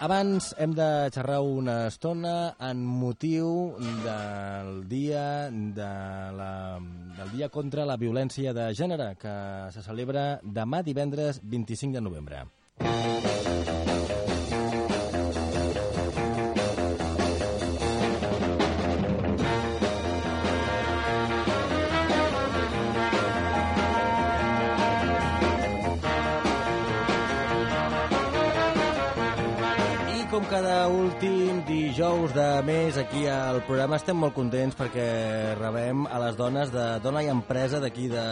Abans hem de xerrar una estona en motiu del dia contra la violència de gènere, que se celebra demà divendres 25 de novembre. Com cada últim dijous de mes aquí al programa estem molt contents perquè rebem a les dones de Dona i Empresa d'aquí de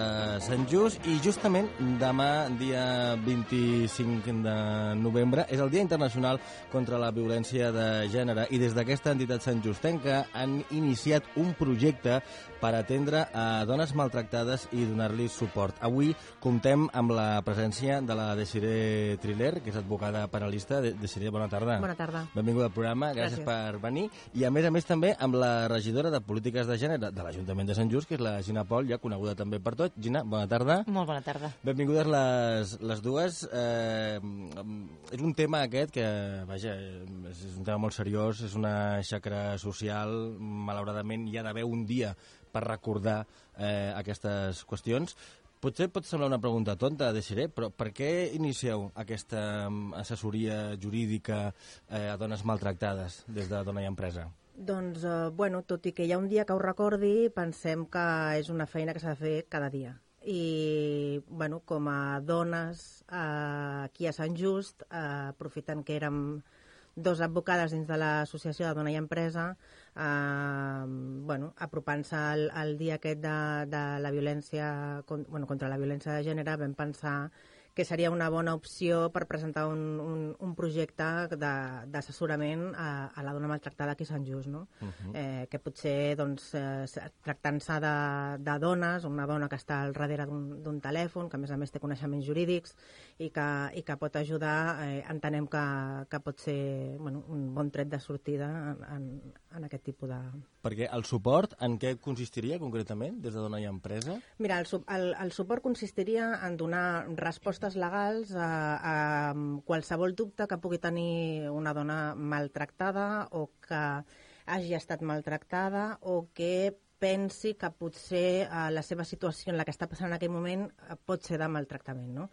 Sant Just, i justament demà, dia 25 de novembre, és el Dia Internacional contra la Violència de Gènere, i des d'aquesta entitat santjustenca han iniciat un projecte per atendre a dones maltractades i donar-li suport. Avui comptem amb la presència de la Desiree Triller, que és advocada penalista. Desiree, bona tarda. Bona tarda. Benvinguda al programa, gràcies per venir. I a més també amb la regidora de Polítiques de Gènere de l'Ajuntament de Sant Just, que és la Gina Pol, ja coneguda també per tot. Gina, bona tarda. Molt bona tarda. Benvingudes les dues. És un tema aquest que, vaja, és un tema molt seriós, és una xacra social. Malauradament hi ha d'haver un dia per recordar aquestes qüestions. Potser pot semblar una pregunta tonta, Desiree, però per què inicieu aquesta assessoria jurídica a dones maltractades des de Dona i Empresa? Doncs, tot i que hi ha un dia que ho recordi, pensem que és una feina que s'ha de fer cada dia. I, com a dones aquí a Sant Just, aprofitant que érem dos advocades dins de l'associació de Dona i Empresa, apropant-se al dia aquest de la violència, contra la violència de gènere, vam pensar que seria una bona opció per presentar un projecte d'assessorament a la dona maltractada aquí a Sant Just, no? Que potser, tractant-se de dones, una dona que està al darrere d'un telèfon, que a més té coneixements jurídics i que pot ajudar, entenem que pot ser un bon tret de sortida en aquest tipus de... Perquè el suport, en què consistiria concretament des de Dona i Empresa? Mira, el suport consistiria en donar respostes legals a qualsevol dubte que pugui tenir una dona maltractada o que hagi estat maltractada o que pensi que potser la seva situació en la que està passant en aquell moment pot ser de maltractament, no?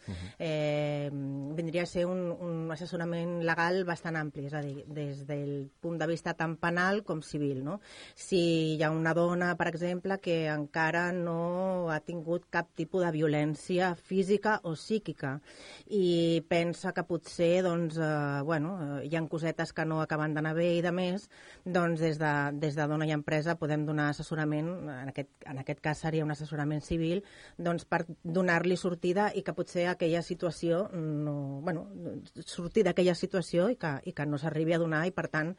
Vindria a ser un assessorament legal bastant ampli, és a dir, des del punt de vista tant penal com civil, no? Si hi ha una dona, per exemple, que encara no ha tingut cap tipus de violència física o psíquica i pensa que potser, hi ha cosetes que no acaben d'anar bé i de més, doncs des de Dona i Empresa podem donar assessorament, en aquest cas seria un assessorament civil, doncs per donar-li sortida i que potser aquella situació sortir d'aquella situació i que no s'arribi a donar, i per tant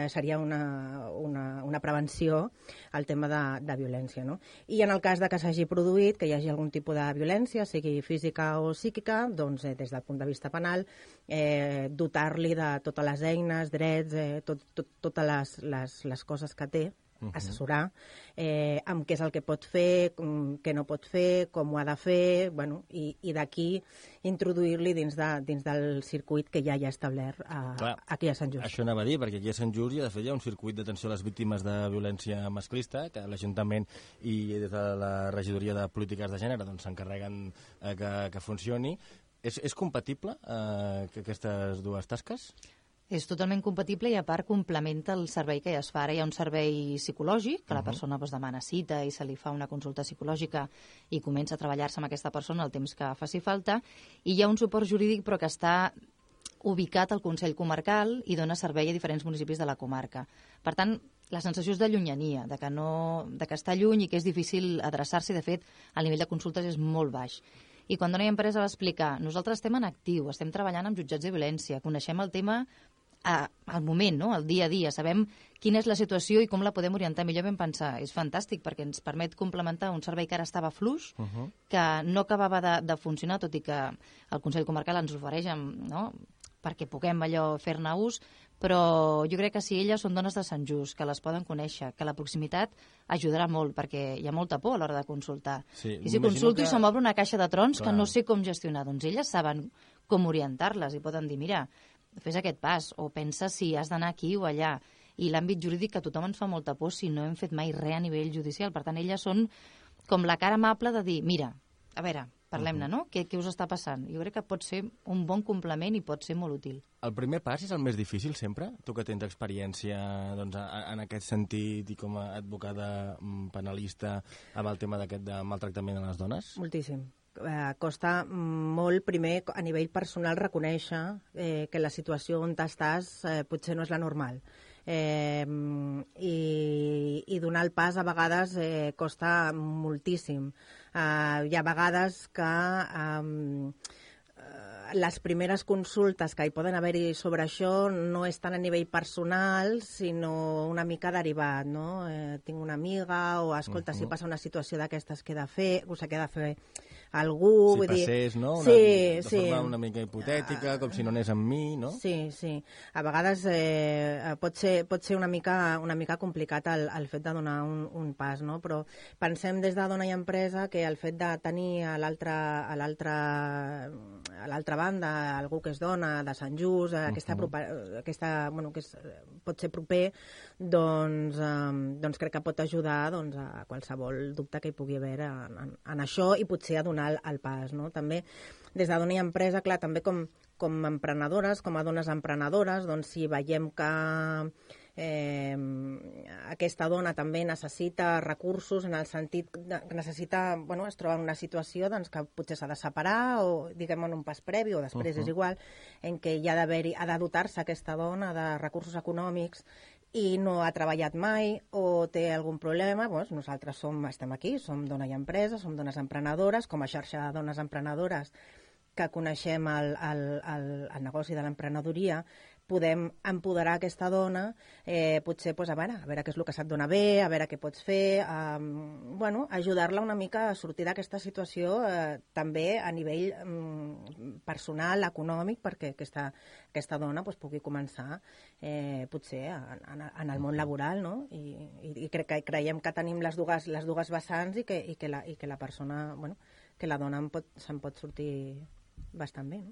seria una prevenció al tema de violència, no? I en el cas de que s'hagi produït, que hi hagi algun tipus de violència, sigui física o psíquica, doncs des del punt de vista penal dotar-li de totes les eines, drets, totes les coses que té, assessorar amb què és el que pot fer, què no pot fer, com ho ha de fer, i d'aquí introduir-li dins del circuit que ja hi ha establert aquí a Sant Just. Això anava a dir, perquè aquí a Sant Just hi ha un circuit d'atenció a les víctimes de violència masclista, que l'Ajuntament i des de la Regidoria de Polítiques de Gènere s'encarreguen que funcioni. És compatible aquestes dues tasques? És totalment compatible i, a part, complementa el servei que ja es fa. Ara hi ha un servei psicològic, que la persona demana cita i se li fa una consulta psicològica i comença a treballar-se amb aquesta persona el temps que faci falta, i hi ha un suport jurídic però que està ubicat al Consell Comarcal i dona servei a diferents municipis de la comarca. Per tant, la sensació és de llunyania, de que està lluny i que és difícil adreçar-s'hi. De fet, el nivell de consultes és molt baix. I quan Dona i Empresa va explicar, nosaltres estem en actiu, estem treballant amb jutjats de violència, coneixem el tema al moment, no? Al dia a dia, sabem quina és la situació i com la podem orientar millor. Vam pensar, és fantàstic perquè ens permet complementar un servei que ara estava fluix, que no acabava de funcionar, tot i que el Consell Comarcal ens ofereix, no?, perquè puguem fer-ne ús, però jo crec que si elles són dones de Sant Just, que les poden conèixer, que la proximitat ajudarà molt, perquè hi ha molta por a l'hora de consultar. Sí, i si consulto i se m'obre una caixa de trons que no sé com gestionar, doncs elles saben com orientar-les i poden dir, mira, fes aquest pas, o pensa si has d'anar aquí o allà. I l'àmbit jurídic, que a tothom ens fa molta por si no hem fet mai res a nivell judicial. Per tant, elles són com la cara amable de dir, mira, a veure, parlem-ne, no? Què us està passant? Jo crec que pot ser un bon complement i pot ser molt útil. El primer pas és el més difícil sempre? Tu que tens experiència doncs, en aquest sentit i com a advocada penalista amb el tema d'aquest de maltractament a les dones? Moltíssim. Costa molt, primer, a nivell personal, reconèixer que la situació on estàs potser no és la normal. I donar el pas a vegades costa moltíssim. Hi ha vegades que les primeres consultes que hi poden haver-hi sobre això no és tant a nivell personal, sinó una mica derivat, no? Tinc una amiga, o escolta, si passa una situació d'aquestes que he de fer, o s'ha de fer algú... Si passés, no? De forma una mica hipotètica, com si no anés amb mi, no? Sí. A vegades pot ser una mica complicat el fet de donar un pas, no? Però pensem des de Dona i Empresa que el fet de tenir a l'altra banda algú que és dona, de Sant Just, bueno, que pot ser proper, doncs crec que pot ajudar a qualsevol dubte que hi pugui haver en això i potser a donar el pas, no? També des de Dona i Empresa, clar, també com emprenedores, com a dones emprenedores, doncs si veiem que aquesta dona també necessita recursos en el sentit que necessita, bueno, es troba en una situació doncs, que potser s'ha de separar o diguem en un pas previ o després és igual, en què ha de dotar-se aquesta dona de recursos econòmics i no ha treballat mai o té algun problema, doncs nosaltres estem aquí, som Dona i Empresa, som dones emprenedores, com a xarxa de dones emprenedores que coneixem el negoci de l'emprenedoria, podem empoderar aquesta dona, potser a veure què és el que se't dona bé, a veure què pots fer, ajudar-la una mica a sortir d'aquesta situació també a nivell personal, econòmic, perquè aquesta dona pugui començar potser en el món laboral, no? I creiem que tenim les dues vessants i que la persona, que la dona se'n pot sortir bastant bé, no?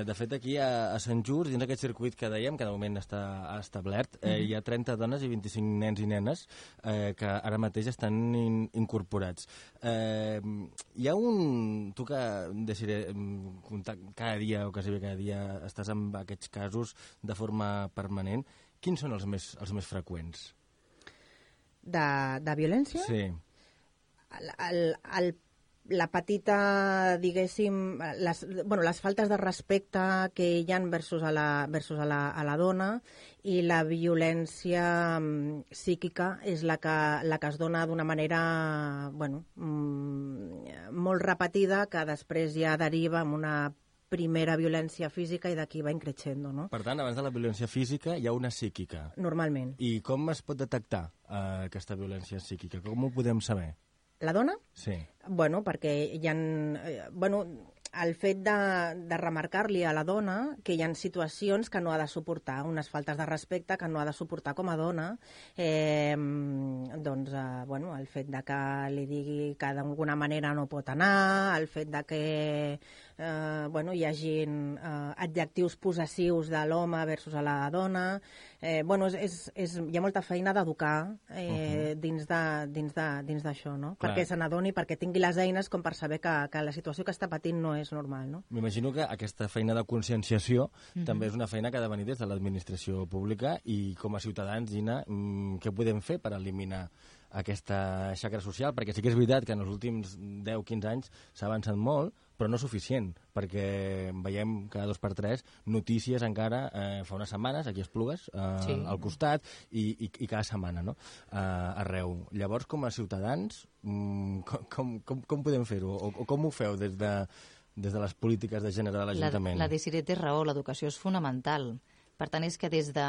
De fet, aquí a Sant Just, dins d'aquest circuit que dèiem, que de moment està establert, hi ha 30 dones i 25 nens i nenes que ara mateix estan incorporats. Hi ha tu que cada dia o quasi cada dia estàs amb aquests casos de forma permanent, quins són els més freqüents? De violència? Sí. La petita, diguéssim, les faltes de respecte que hi ha versus a la dona i la violència psíquica és la que es dona d'una manera molt repetida, que després ja deriva en una primera violència física i d'aquí va increixendo, no? Per tant, abans de la violència física hi ha una psíquica. Normalment. I com es pot detectar aquesta violència psíquica? Com ho podem saber? La dona? Sí. Perquè hi ha... el fet de remarcar-li a la dona que hi ha situacions que no ha de suportar, unes faltes de respecte que no ha de suportar com a dona, el fet de que li digui que d'alguna manera no pot anar, el fet de que hi hagin adjectius possessius de l'home versus a la dona... hi ha molta feina d'educar dins d'això, no? Clar. Perquè se n'adoni, perquè tingui les eines com per saber que la situació que està patint no és normal, no? M'imagino que aquesta feina de conscienciació també és una feina que ha de venir des de l'administració pública i com a ciutadans, Gina, què podem fer per eliminar aquesta xacra social? Perquè sí que és veritat que en els últims 10-15 anys s'ha avançat molt, però no suficient, perquè veiem cada 2 per 3 notícies encara fa unes setmanes, aquí a Esplugues, al costat, i cada setmana, no? Arreu. Llavors, com a ciutadans, com podem fer-ho? O com ho feu des de les polítiques de gènere de l'Ajuntament? La Desiré té raó, l'educació és fonamental. Per tant, és que des de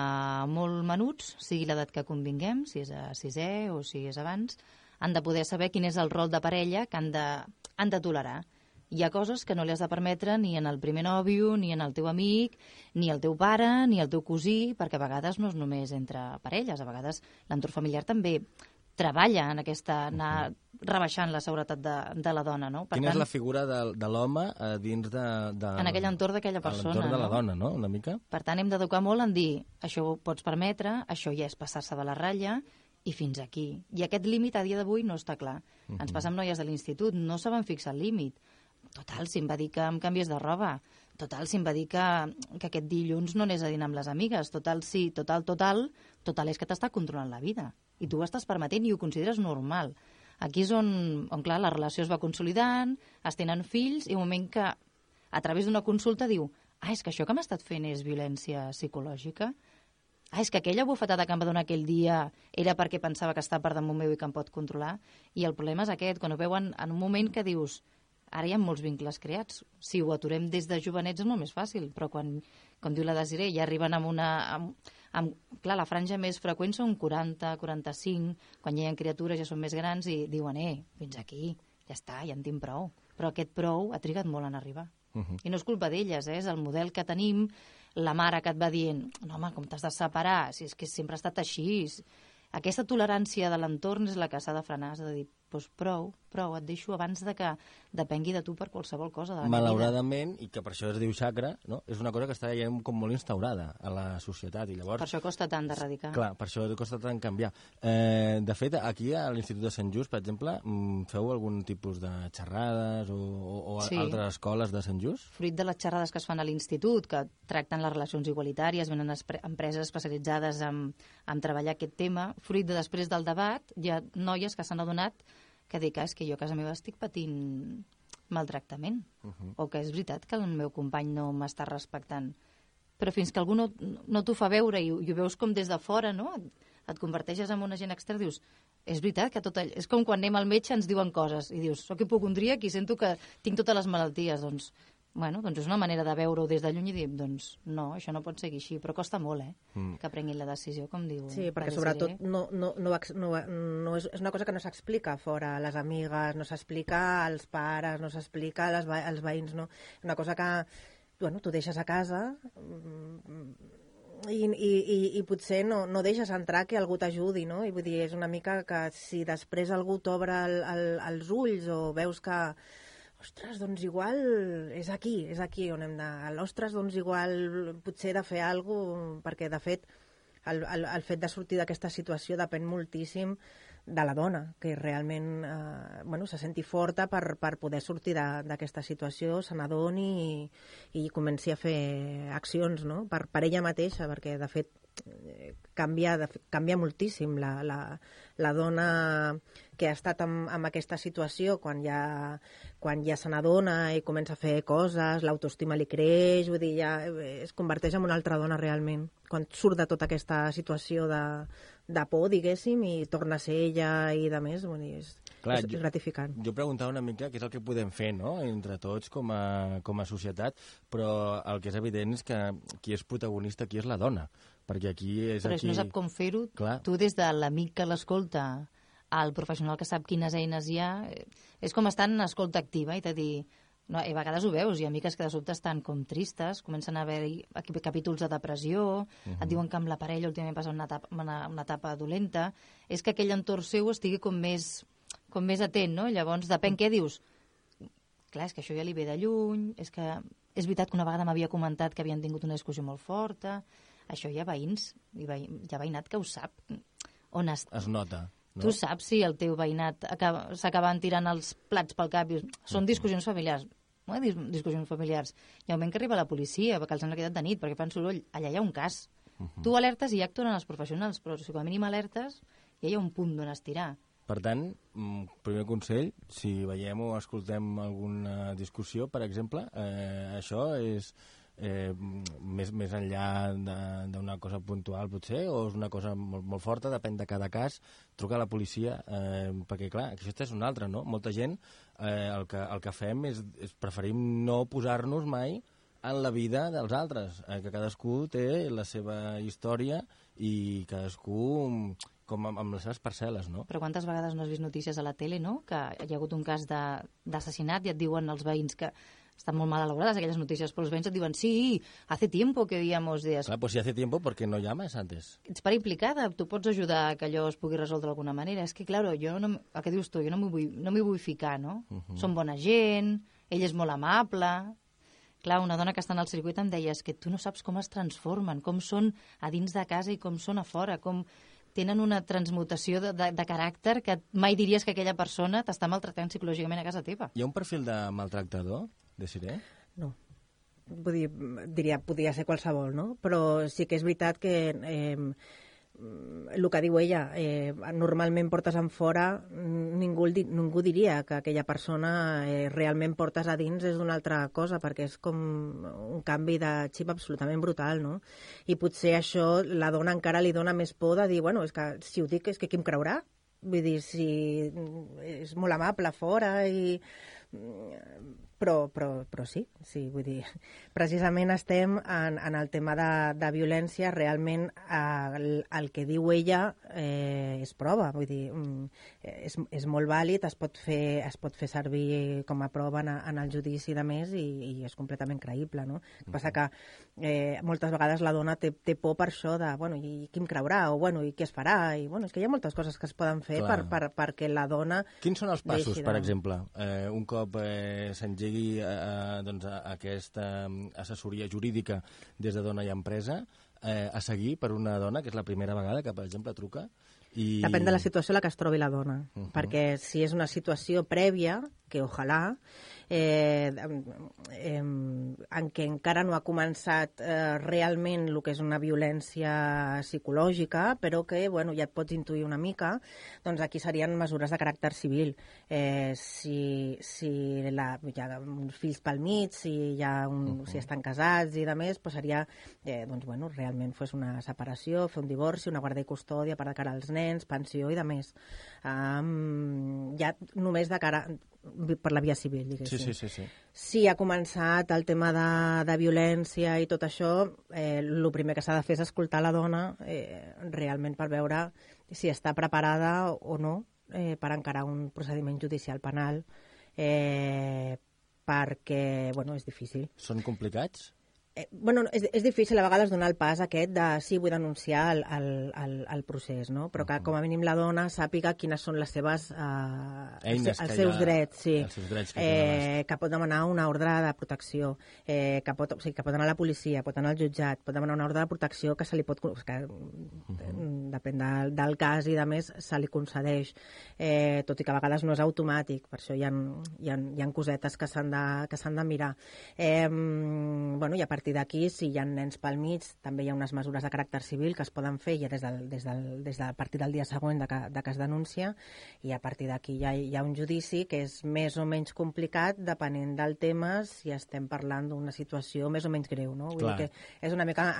molt menuts, sigui l'edat que convinguem, si és a 6è o si és abans, han de poder saber quin és el rol de parella que han de tolerar. Hi ha coses que no li has de permetre ni en el primer nòvio, ni en el teu amic, ni el teu pare, ni el teu cosí, perquè a vegades no és només entre parelles, a vegades l'entorn familiar també treballa en aquesta, anar rebaixant la seguretat de la dona, no? Quina és la figura de l'home dins en aquell entorn d'aquella persona, l'entorn de la dona, no? Una mica? Per tant, hem d'educar molt en dir això ho pots permetre, això ja és passar-se de la ratlla, i fins aquí. I aquest límit a dia d'avui no està clar. Ens passa amb noies de l'institut, no saben fixar el límit. Total, si em va dir que em canvies de roba. Total, si em va dir que aquest dilluns no anés a dinar amb les amigues. Total, sí, total és que t'està controlant la vida. I tu ho estàs permetent i ho consideres normal. Aquí és on clar, la relació es va consolidant, es tenen fills, i un moment que, a través d'una consulta, diu és que això que m'ha estat fent és violència psicològica? És que aquella bufetada que em va donar aquell dia era perquè pensava que està per damunt meu i que em pot controlar? I el problema és aquest, quan ho veuen en un moment que dius ara hi ha molts vincles creats. Si ho aturem des de jovenets és molt més fàcil, però quan, com diu la Desiree, ja arriben amb una... clar, la franja més freqüent són 40, 45, quan hi ha criatures ja són més grans i diuen, fins aquí, ja està, ja en tinc prou. Però aquest prou ha trigat molt en arribar. I no és culpa d'elles, és el model que tenim, la mare que et va dient, no home, com t'has de separar, si és que sempre ha estat així. Aquesta tolerància de l'entorn és la que s'ha de frenar, és a dir, doncs prou, et deixo abans de que depengui de tu per qualsevol cosa de la meva vida. Malauradament, i que per això es diu xacra, no? És una cosa que està ja com molt instaurada a la societat. I llavors, per això costa tant d'erradicar. Clar, per això costa tant canviar. De fet, aquí a l'Institut de Sant Just, per exemple, feu algun tipus de xerrades o sí, altres escoles de Sant Just? Fruit de les xerrades que es fan a l'Institut, que tracten les relacions igualitàries, venen empreses especialitzades en treballar aquest tema, fruit de després del debat, hi ha noies que s'han adonat que dic, és que jo a casa meva estic patint maltractament, o que és veritat que el meu company no m'està respectant. Però fins que algú no t'ho fa veure i ho veus com des de fora, no? Et converteixes en un agent extern, dius, és veritat que tot allò... És com quan anem al metge ens diuen coses i dius, soc hipocondríac i sento que tinc totes les malalties, doncs és una manera de veure-ho des de lluny i dir, doncs no, això no pot seguir així, però costa molt, que prenguin la decisió, com diu. Sí, perquè sobretot és una cosa que no s'explica fora a les amigues, no s'explica als pares, no s'explica als veïns, no? Una cosa que, tu deixes a casa i potser no deixes entrar que algú t'ajudi, no? I vull dir, és una mica que si després algú t'obre els ulls o veus que ostres, doncs igual és aquí on hem d'anar. Ostres, doncs igual potser he de fer alguna cosa, perquè de fet el fet de sortir d'aquesta situació depèn moltíssim de la dona, que realment se senti forta per poder sortir d'aquesta situació, se n'adoni i comenci a fer accions, no? Per ella mateixa, perquè de fet canvia moltíssim la dona que ha estat en aquesta situació quan ja se n'adona i comença a fer coses, l'autoestima li creix, vull dir, ja es converteix en una altra dona realment, quan surt de tota aquesta situació de por, diguéssim, i torna a ser ella i de més, vull dir, és gratificant. Jo preguntava una mica què és el que podem fer, no?, entre tots com a societat, però el que és evident és que qui és protagonista aquí és la dona, perquè aquí és... Però si no sap com fer-ho, tu des de l'amic que l'escolta al professional que sap quines eines hi ha, és com estar en escolta activa i de dir... No, a vegades ho veus, hi ha amiques que de sobte estan com tristes, comencen a haver-hi capítols de depressió, et diuen que amb la parella últimament passa una etapa dolenta, és que aquell entorn seu estigui com més atent, no? Llavors, depèn què dius. Clar, és que això ja li ve de lluny, és veritat que una vegada m'havia comentat que havien tingut una discussió molt forta, això hi ha veïns, hi ha veïnat que ho sap. Es nota. No? Tu saps si el teu veïnat s'acaben tirant els plats pel cap i són discussions familiars. No discussions familiars. Hi ha un moment que arriba la policia perquè els han quedat de nit, perquè fan soroll. Allà hi ha un cas. Tu alertes i ja actuen els professionals, però si com a mínim alertes ja hi ha un punt d'on estirar. Per tant, primer consell, si veiem o escoltem alguna discussió, per exemple, això és... més enllà d'una cosa puntual potser, o és una cosa molt forta, depèn de cada cas, trucar a la policia, perquè clar, això és una altra, no? Molta gent el que fem és preferim no posar-nos mai en la vida dels altres, que cadascú té la seva història i cadascú com amb les seves parcel·les, no? Però quantes vegades no has vist notícies a la tele, no?, que hi ha hagut un cas d'assassinat i et diuen els veïns que estan molt mal elaborades aquelles notícies, però els veïns et diuen sí, hace tiempo que víamos días. Claro, pues si hace tiempo, ¿por qué no llamas antes? Ets part implicada, tu pots ajudar a que allò es pugui resoldre d'alguna manera. És que, claro, jo no, el que dius tu, jo no m'hi vull ficar, no? Són bona gent, ell és molt amable. Clar, una dona que està en el circuit em deia que tu no saps com es transformen, com són a dins de casa i com són a fora, com tenen una transmutació de caràcter que mai diries que aquella persona t'està maltractant psicològicament a casa teva. Hi ha un perfil de maltractador, Desiree? No. Vull dir, diria, podria ser qualsevol, no? Però sí que és veritat que el que diu ella, normalment portes en fora, ningú diria que aquella persona realment portes a dins és una altra cosa, perquè és com un canvi de xip absolutament brutal, no? I potser això la dona encara li dona més por de dir, bueno, és que si ho dic és que qui em creurà? Vull dir, si és molt amable fora i... Però sí, vull dir, precisament estem en el tema de violència, realment el que diu ella és prova, vull dir, és molt vàlid, es pot fer servir com a prova en el judici de més i és completament creïble, no? El que passa que moltes vegades la dona té por per això de, bueno, i qui em creurà, o bueno, i què es farà, i bueno, és que hi ha moltes coses que es poden fer perquè la dona... Quins són els passos, per exemple? Un cop s'engegui doncs, aquesta assessoria jurídica des de Dona i Empresa a seguir per una dona, que és la primera vegada que, per exemple, truca? Depèn de la situació en la que es trobi la dona, perquè si és una situació prèvia, que ojalà, en què encara no ha començat realment el que és una violència psicològica, però que bueno, ja et pots intuir una mica, doncs aquí serien mesures de caràcter civil. Si hi ha uns fills pel mig, si estan casats i de més, doncs seria doncs, bueno, realment fos una separació, fer un divorci, una guarda i custòdia per de cara als nens, pensió i de més. Ja només de cara per la via civil, diguéssim. Sí. Si ha començat el tema de violència i tot això, el primer que s'ha de fer és escoltar la dona realment per veure si està preparada o no per encarar un procediment judicial penal, perquè, bueno, és difícil. Són complicats? Bueno, és difícil a vegades donar el pas aquest de sí, vull denunciar el procés, no? Però que com a mínim la dona sàpiga quines són les seves eines, els seus drets, sí. Els seus drets que pot demanar una ordre de protecció, que pot anar a la policia, pot anar al jutjat, pot demanar una ordre de protecció que se li pot... que depèn del cas i de més se li concedeix, tot i que a vegades no és automàtic, per això hi ha cosetes que s'han de mirar. Bueno, i a partir d'aquí, si hi ha nens pel mig, també hi ha unes mesures de caràcter civil que es poden fer ja a partir del dia següent de que es denuncia, i a partir d'aquí hi ha un judici que és més o menys complicat depenent del tema, si estem parlant d'una situació més o menys greu, no? Vull dir que és una mica...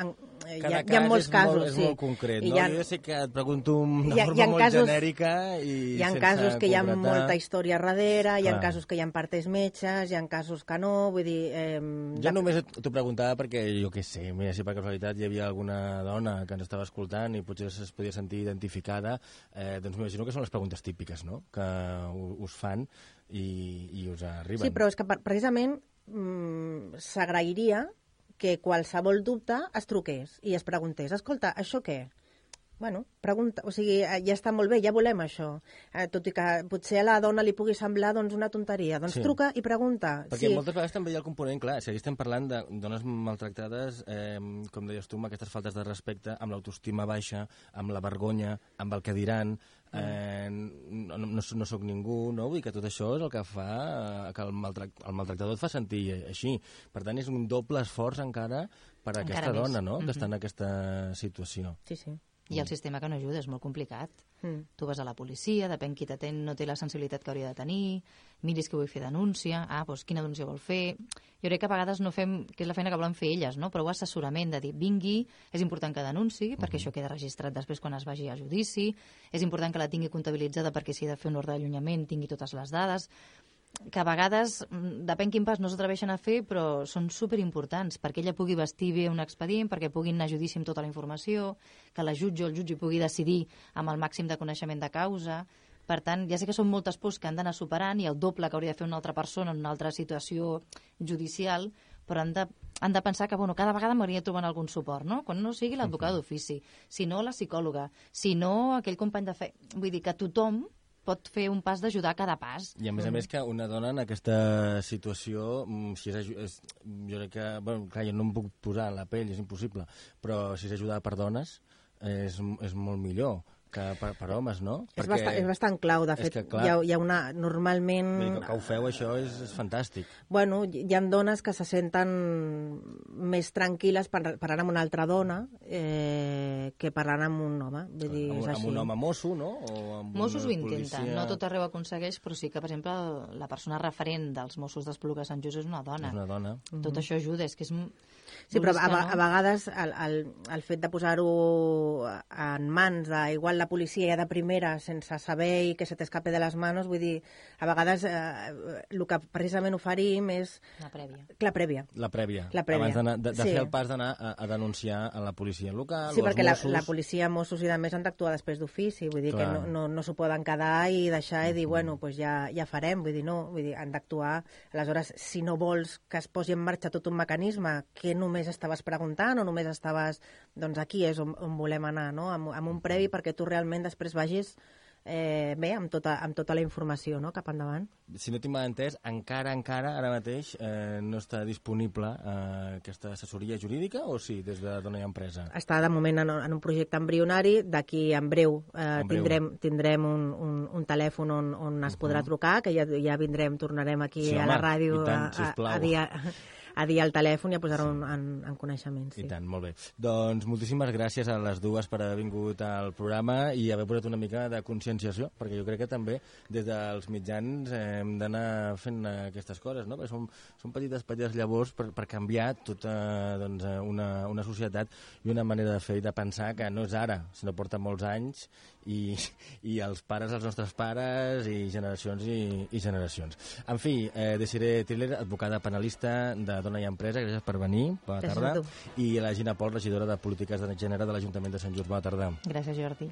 Hi ha molts casos, sí. És molt concret, no? Jo sé que et pregunto de forma molt genèrica i sense concretar. Hi ha casos que hi ha molta història darrere, hi ha casos que hi ha partes metges, hi ha casos que no, vull dir... Jo només t'ho preguntava perquè, jo què sé, mira, si per casualitat hi havia alguna dona que ens estava escoltant i potser es podia sentir identificada, doncs m'imagino que són les preguntes típiques, no?, que us fan i us arriben. Sí, però és que precisament s'agrairia que qualsevol dubte es truqués i es preguntés, escolta, això què? Bueno, pregunta, o sigui, ja està molt bé, ja volem això. Tot i que potser a la dona li pugui semblar doncs, una tonteria. Doncs truca i pregunta. Perquè moltes vegades també hi ha el component, clar, si estem parlant de dones maltractades, com deies tu, amb aquestes faltes de respecte, amb l'autoestima baixa, amb la vergonya, amb el que diran, no sóc ningú, no? Vull dir que tot això és el que fa que el maltractador et fa sentir així. Per tant, és un doble esforç encara per a aquesta dona, no?, que està en aquesta situació. Sí, sí. I el sistema que no ajuda, és molt complicat. Tu vas a la policia, depèn qui t'atén, no té la sensibilitat que hauria de tenir, miris que vull fer denúncia, doncs quina denúncia vol fer... Jo crec que a vegades no fem, que és la feina que volen fer elles, no? Però assessorament de dir, vingui, és important que denunciï, perquè això queda registrat després quan es vagi a judici, és important que la tingui comptabilitzada perquè si ha de fer un ordre d'allunyament tingui totes les dades, que a vegades, depèn quin pas, no s'atreveixen a fer, però són superimportants, perquè ella pugui vestir bé un expedient, perquè puguin anar a judici amb tota la informació, que la jutge o el jutge pugui decidir amb el màxim de coneixement de causa. Per tant, ja sé que són moltes pors que han d'anar superant i el doble que hauria de fer una altra persona en una altra situació judicial, però han de pensar que cada vegada m'hauria de trobar algun suport, no? Quan no sigui l'advocat d'ofici, si no la psicòloga, si no aquell company de feina. Vull dir que tothom pot fer un pas d'ajudar cada pas. I a més que una dona en aquesta situació, si jo crec que, clar, jo no em puc posar en la pell, és impossible, però si és ajudada per dones és molt millor que per homes, no? És bastant clau, de fet. Hi ha una... Normalment... Que ho feu, això és fantàstic. Bueno, hi ha dones que se senten més tranquil·les parlant amb una altra dona que parlant amb un home. Vull dir, és així. Amb un home mosso, no? Mossos ho intenten, no tot arreu aconsegueix, però sí que, per exemple, la persona referent dels Mossos d'Espluga de Sant Just és una dona. És una dona. Tot això ajuda, és que és... Sí, però a vegades el fet de posar-ho en mans igual la policia ja de primera, sense saber i que se t'escape de les mans, vull dir, a vegades el que precisament oferim és... La prèvia. La prèvia. Abans de fer el pas d'anar a denunciar a la policia local, sí, perquè la policia, Mossos i demés han d'actuar després d'ofici, vull dir que no s'ho poden quedar i deixar i dir, bueno, doncs ja farem, vull dir, no, han d'actuar. Aleshores, si no vols que es posi en marxa tot un mecanisme que només estaves preguntant o només estaves... Doncs aquí és on volem anar, no? Amb un previ perquè tu realment després vagis bé amb tota la informació, no? Cap endavant. Si no tinc mal entès, encara ara mateix no està disponible aquesta assessoria jurídica o sí, des de Dona i Empresa? Està de moment en un projecte embrionari, d'aquí en breu tindrem un telèfon on es podrà trucar, que ja tornarem aquí a la ràdio a dir al telèfon i a posar-ho en coneixement. Sí. I tant, molt bé. Doncs moltíssimes gràcies a les dues per haver vingut al programa i haver posat una mica de conscienciació, perquè jo crec que també des dels mitjans hem d'anar fent aquestes coses, no? Perquè són petites llavors per canviar tota una societat i una manera de fer i de pensar que no és ara, sinó porta molts anys i els pares, els nostres pares i generacions i generacions. En fi, Desiree Tiller, advocada penalista de Dona i Empresa, gràcies per venir, bona tarda. I la Gina Pol, regidora de Polítiques de Gènere de l'Ajuntament de Sant Just, bona tarda. Gràcies, Jordi.